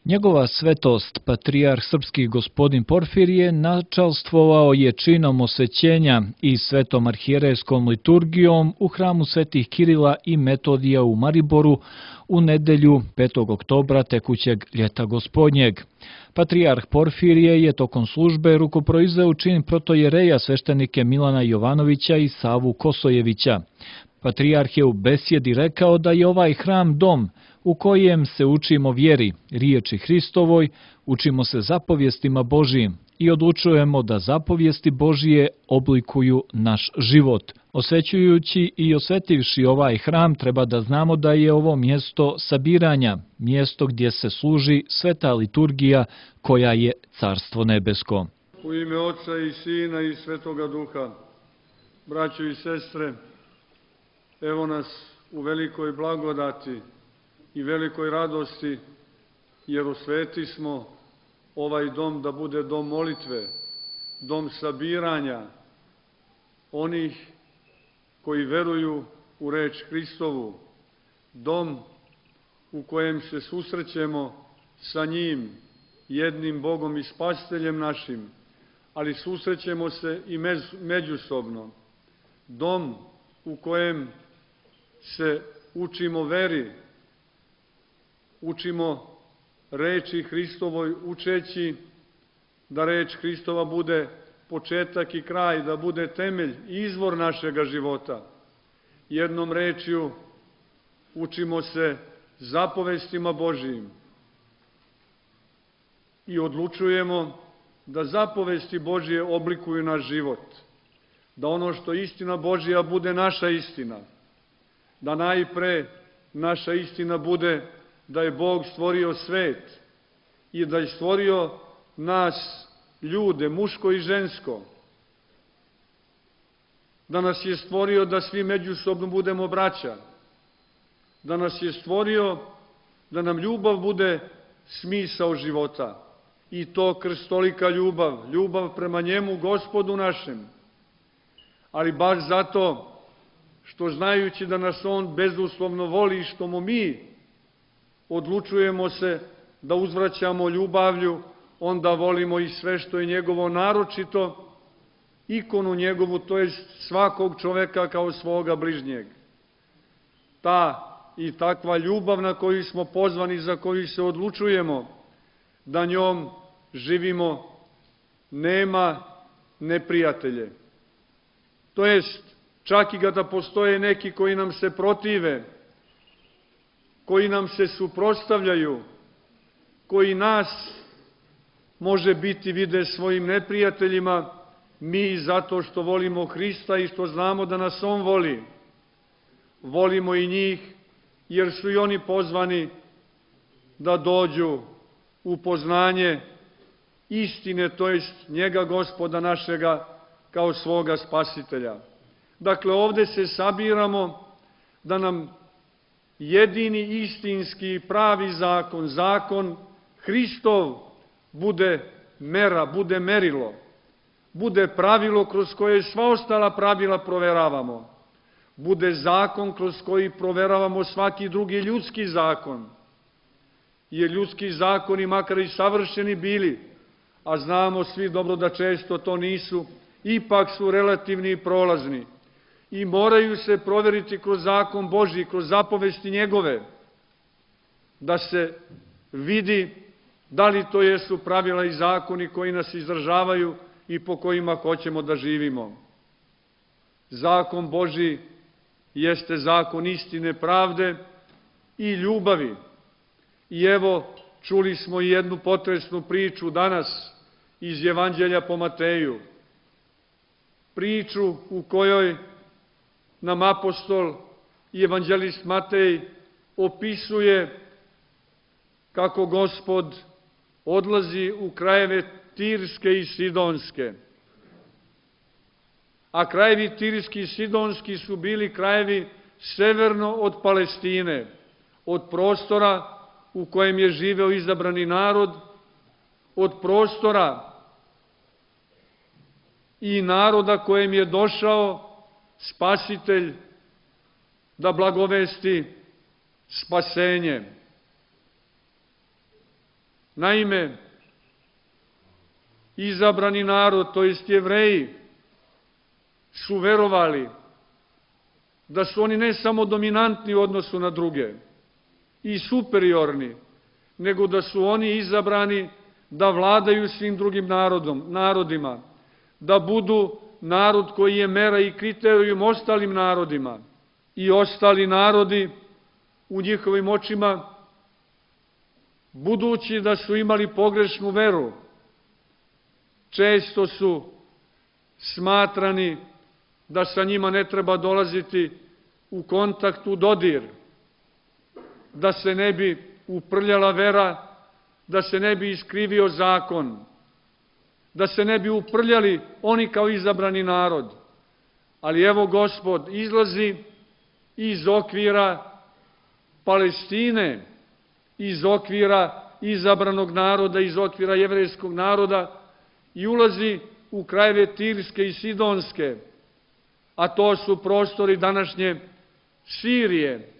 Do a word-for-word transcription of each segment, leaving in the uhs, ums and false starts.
Njegova svetost, patrijarh srpski gospodin Porfirije, načalstvovao je činom osvećenja i svetom arhijerejskom liturgijom u hramu svetih Kirila i Metodija u Mariboru u nedelju petog oktobra tekućeg ljeta gospodnjeg. Patrijarh Porfirije je tokom službe rukoproizveo čin protojereja sveštenike Milana Jovanovića i Savu Kosojevića. Patrijarh je u besjedi rekao da je ovaj hram dom u kojem se učimo vjeri, riječi Hristovoj, učimo se zapovjestima Božijim i odlučujemo da zapovijesti Božije oblikuju naš život. Osvećujući i osvetivši ovaj hram, treba da znamo da je ovo mjesto sabiranja, mjesto gdje se služi sveta liturgija koja je Carstvo nebesko. U ime Oca i Sina i Svetoga Duha, braćo i sestre, evo nas u velikoj blagodati i velikoj radosti, jer osveti smo ovaj dom da bude dom molitve, dom sabiranja onih koji veruju u reč Hristovu, dom u kojem se susrećemo sa njim, jednim Bogom i Spasiteljem našim, ali susrećemo se i međusobno, dom u kojem se učimo veri, učimo reči Hristovoj, učeći da reč Hristova bude početak i kraj, da bude temelj i izvor našega života. Jednom rečju učimo se zapovestima Božijim i odlučujemo da zapovesti Božije oblikuju naš život, da ono što je istina Božija bude naša istina, da najpre naša istina bude da je Bog stvorio svet i da je stvorio nas, ljude, muško i žensko, da nas je stvorio da svi međusobno budemo braća, da nas je stvorio da nam ljubav bude smisao života i to krstolika ljubav, ljubav prema njemu, Gospodu našem, ali baš zato što znajući da nas on bezuslovno voli, što mu mi odlučujemo se da uzvraćamo ljubavlju, onda volimo i sve što je njegovo, naročito ikonu njegovu, to je svakog čoveka kao svoga bližnjeg. Ta i takva ljubav na koju smo pozvani, za koju se odlučujemo da njom živimo, nema neprijatelje. To jest, čak i kada postoje neki koji nam se protive, koji nam se suprotstavljaju, koji nas, može biti, vide svojim neprijateljima, mi zato što volimo Hrista i što znamo da nas on voli, volimo i njih, jer su i oni pozvani da dođu u poznanje istine, to jest njega, Gospoda našega, kao svoga Spasitelja. Dakle, ovde se sabiramo da nam jedini istinski pravi zakon, zakon Hristov, bude mera, bude merilo, bude pravilo kroz koje sva ostala pravila proveravamo, bude zakon kroz koji proveravamo svaki drugi ljudski zakon, jer ljudski zakoni, makar i savršeni bili, a znamo svi dobro da često to nisu, ipak su relativni i prolazni i moraju se proveriti kroz zakon Božji, kroz zapovesti njegove, da se vidi da li to jesu pravila i zakoni koji nas izdržavaju i po kojima hoćemo da živimo. Zakon Božji jeste zakon istine, pravde i ljubavi. I evo, čuli smo i jednu potresnu priču danas iz Evanđelja po Mateju. Priču u kojoj nam apostol i evanđelist Matej opisuje kako Gospod odlazi u krajeve Tirske i Sidonske. A krajevi Tirski i Sidonski su bili krajevi severno od Palestine, od prostora u kojem je živeo izabrani narod, od prostora i naroda kojem je došao Spasitelj da blagovesti spasenje. Naime, izabrani narod, to jest Jevreji, su verovali da su oni ne samo dominantni u odnosu na druge i superiorni, nego da su oni izabrani da vladaju svim drugim narodom, narodima, da budu narod koji je mera i kriterijum ostalim narodima. I ostali narodi u njihovim očima, budući da su imali pogrešnu veru, često su smatrani da sa njima ne treba dolaziti u kontakt, u dodir, da se ne bi uprljala vera, da se ne bi iskrivio zakon, da se ne bi uprljali oni kao izabrani narod. Ali evo Gospod izlazi iz okvira Palestine, iz okvira izabranog naroda, iz okvira jevrejskog naroda i ulazi u krajeve Tirske i Sidonske, a to su prostori današnje Sirije,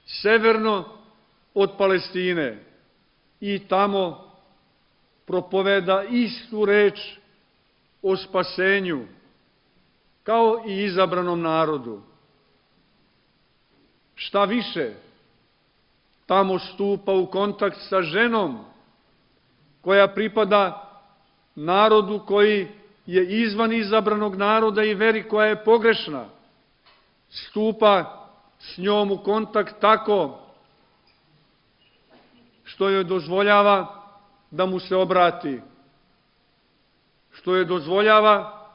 severno od Palestine, i tamo propoveda istu reč o spasenju, kao i izabranom narodu. Šta više, tamo stupa u kontakt sa ženom koja pripada narodu koji je izvan izabranog naroda i veri koja je pogrešna. Stupa s njom u kontakt tako što joj dozvoljava da mu se obrati, što joj dozvoljava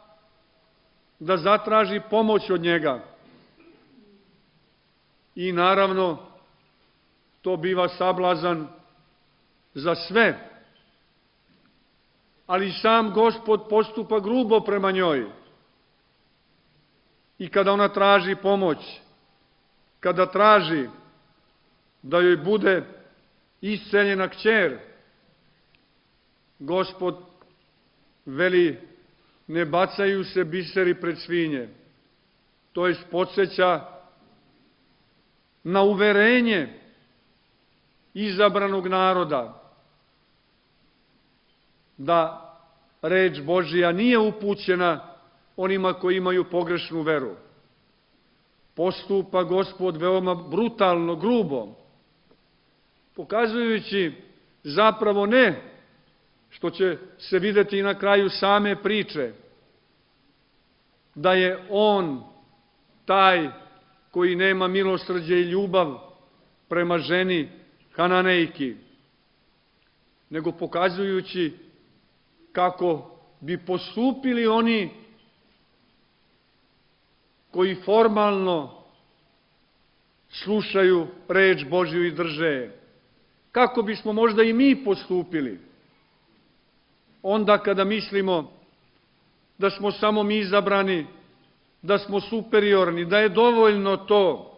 da zatraži pomoć od njega. I naravno, to biva sablazan za sve. Ali sam Gospod postupa grubo prema njoj. I kada ona traži pomoć, kada traži da joj bude isceljena kćer, Gospod veli, ne bacaju se biseri pred svinje. To jest podsjeća na uverenje izabranog naroda da reč Božija nije upućena onima koji imaju pogrešnu veru. Postupa Gospod veoma brutalno, grubo, pokazujući zapravo ne, što će se videti i na kraju same priče, da je on taj koji nema milosrđe i ljubav prema ženi Hananejki, nego pokazujući kako bi postupili oni koji formalno slušaju reč Božju i drže. Kako bismo možda i mi postupili onda kada mislimo da smo samo mi izabrani, da smo superiorni, da je dovoljno to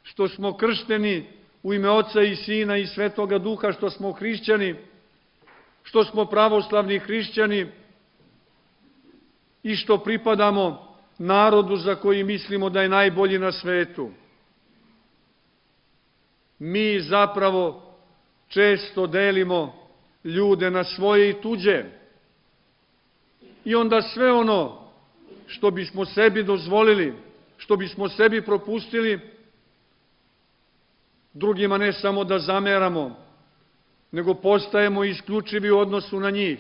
što smo kršteni u ime Oca i Sina i Svetoga Duha, što smo hrišćani, što smo pravoslavni hrišćani i što pripadamo narodu za koji mislimo da je najbolji na svetu. Mi zapravo često delimo ljude na svoje i tuđe. I onda sve ono što bismo sebi dozvolili, što bismo sebi propustili, drugima ne samo da zameramo, nego postajemo isključivi u odnosu na njih.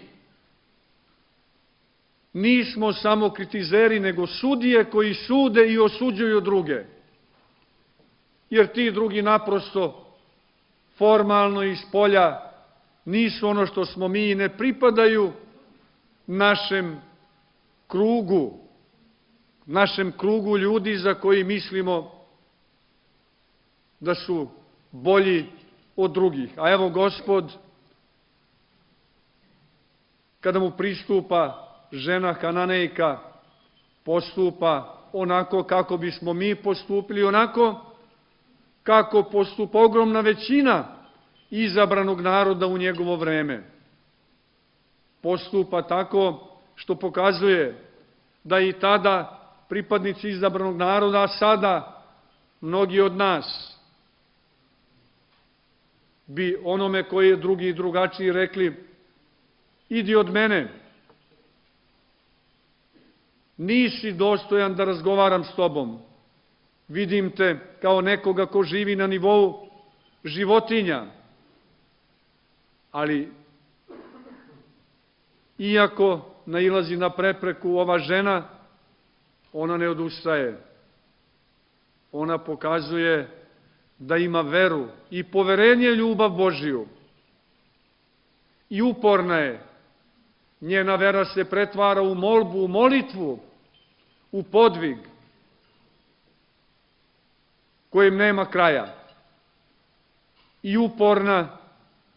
Nismo samo kritizeri, nego sudije koji sude i osuđuju druge. Jer ti drugi naprosto formalno iz polja nisu ono što smo mi i ne pripadaju našem krugu, našem krugu ljudi za koji mislimo da su bolji od drugih. A evo Gospod, kada mu pristupa žena Hananejka, postupa onako kako bismo mi postupili, onako kako postupa ogromna većina izabranog naroda u njegovo vreme. Postupa tako što pokazuje da i tada pripadnici izabranog naroda, a sada mnogi od nas, bi onome koji je drugi i drugačiji rekli: idi od mene, nisi dostojan da razgovaram s tobom, vidim te kao nekoga ko živi na nivou životinja. Ali, iako nailazi na prepreku ova žena, ona ne odustaje. Ona pokazuje da ima veru i poverenje ljubav Božiju. I uporna je. Njena vera se pretvara u molbu, u molitvu, u podvig kojem nema kraja. I uporna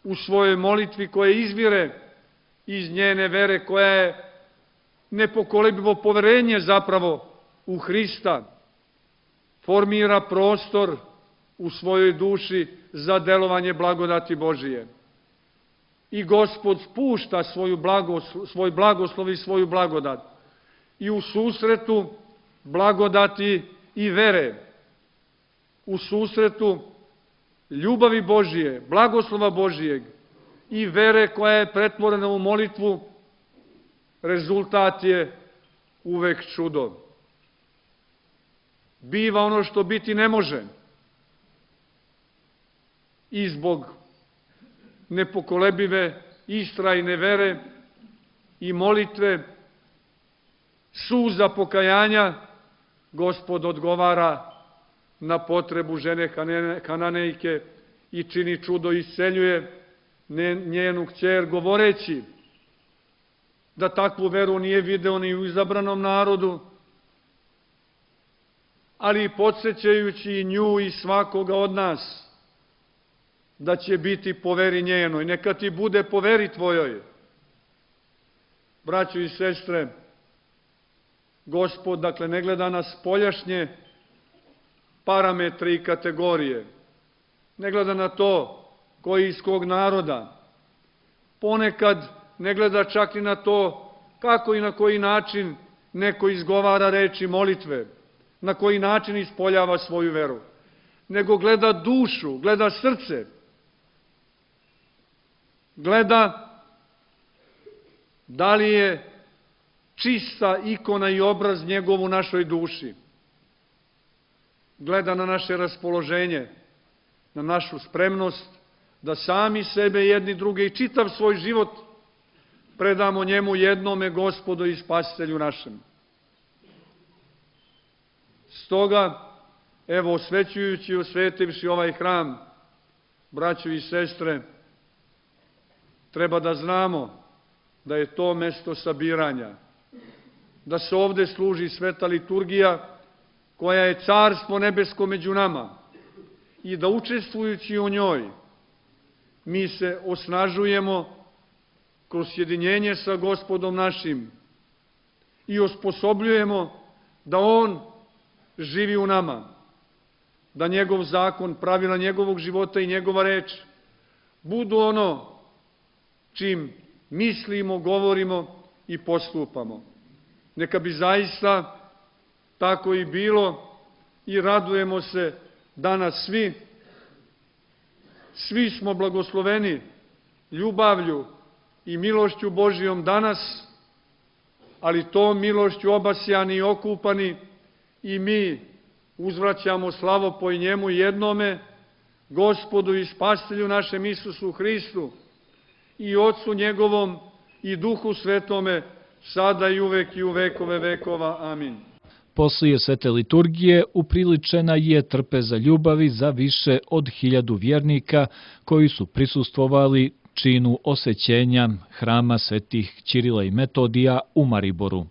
u svojoj molitvi koja izvire iz njene vere, koja je nepokolebljivo poverenje zapravo u Hrista, formira prostor u svojoj duši za delovanje blagodati Božije. I Gospod spušta svoju blagoslov, svoj blagoslov i svoju blagodat. I u susretu blagodati i vere, u susretu ljubavi Božije, blagoslova Božijeg i vere koja je pretvorena u molitvu, rezultat je uvek čudo. Biva ono što biti ne može. I zbog nepokolebive, istrajne vere i molitve, suza pokajanja, Gospod odgovara na potrebu žene Kananejke i čini čudo, isceljuje njenu kćer, govoreći da takvu veru nije video ni u izabranom narodu, ali i podsjećajući i nju i svakoga od nas da će biti po veri njenoj. Neka ti bude po veri tvojoj. Braćo i sestre, Gospod, dakle, ne gleda na spoljašnje parametre i kategorije, ne gleda na to koji je iz kog naroda, ponekad ne gleda čak i na to kako i na koji način neko izgovara reči molitve, na koji način ispoljava svoju veru, nego gleda dušu, gleda srce, gleda da li je čista ikona i obraz njegov u našoj duši, gleda na naše raspoloženje, na našu spremnost da sami sebe, jedni druge i čitav svoj život predamo njemu, jednome Gospodu i Spasitelju našem. Stoga, evo, osvećujući i osvetivši ovaj hram, braćo i sestre, treba da znamo da je to mesto sabiranja, da se ovde služi sveta liturgija koja je carstvo nebesko među nama i da učestvujući u njoj mi se osnažujemo kroz sjedinjenje sa Gospodom našim i osposobljujemo da On živi u nama, da njegov zakon, pravila njegovog života i njegova reč budu ono čim mislimo, govorimo i postupamo. Neka bi zaista tako i bilo i radujemo se danas svi. Svi smo blagosloveni ljubavlju i milošću Božijom danas, ali to milošću obasjani i okupani i mi uzvraćamo slavopoj njemu jednome, Gospodu i Spasitelju našem Isusu Hristu i Otcu njegovom i Duhu Svetome, sada i uvek i u vekove vekova. Amin. Poslije svete liturgije upriličena je trpeza ljubavi za više od hiljadu vjernika koji su prisustvovali činu osvećenja hrama svetih Ćirila i Metodija u Mariboru.